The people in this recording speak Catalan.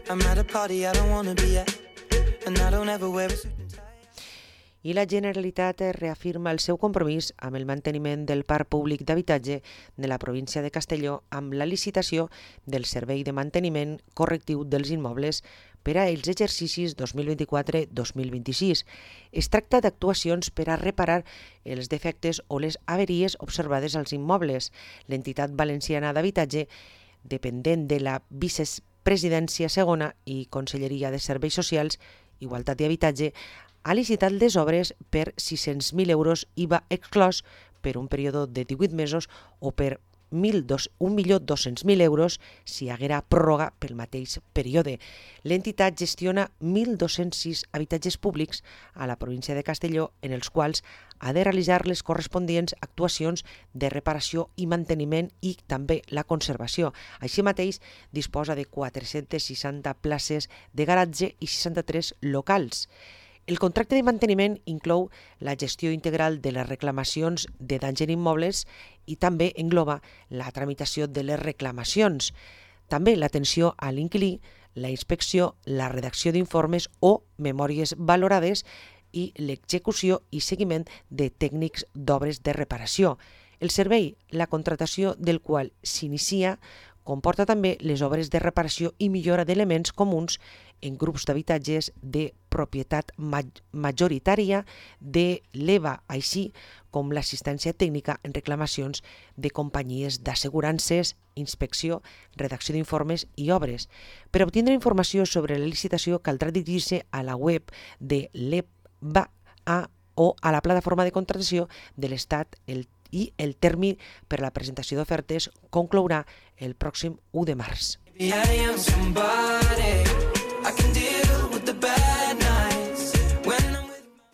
I'm at a party I don't wanna be at, and I don't ever wear a suit and tie. I la Generalitat reafirma el seu compromís amb el manteniment del parc públic d'habitatge de la província de Castelló amb la licitació del servei de manteniment correctiu dels immobles per a els exercicis 2024-2026. Es tracta d'actuacions per a reparar els defectes o les averies observades als immobles. L'entitat valenciana d'habitatge, dependent de la Vicepresidència segona i Conselleria de Serveis Socials, Igualtat i Habitatge, ha licitat les obres per 600.000 euros IVA exclòs per un període de 18 mesos o per 1.200.000 euros si hi haguera pròrroga pel mateix període. L'entitat gestiona 1.206 habitatges públics a la província de Castelló en els quals ha de realitzar les correspondients actuacions de reparació i manteniment i també la conservació. Així mateix disposa de 460 places de garatge i 63 locals. El contracte de manteniment inclou la gestió integral de les reclamacions de danys en immobles i també engloba la tramitació de les reclamacions, també l'atenció a l'inquilí, la inspecció, la redacció d'informes o memòries valorades i l'execució i seguiment de tècnics d'obres de reparació. El servei, la contratació del qual s'inicia, comporta també les obres de reparació i millora d'elements comuns en grups d'habitatges de propietat majoritària de l'EVA, així com l'assistència tècnica en reclamacions de companyies d'assegurances, inspecció, redacció d'informes i obres. Per obtindre informació sobre la licitació caldrà dirigir-se a la web de l'EVA o a la plataforma de contractació de l'Estat i el termini per a la presentació d'ofertes conclourà el pròxim 1 de març. Maybe I am somebody.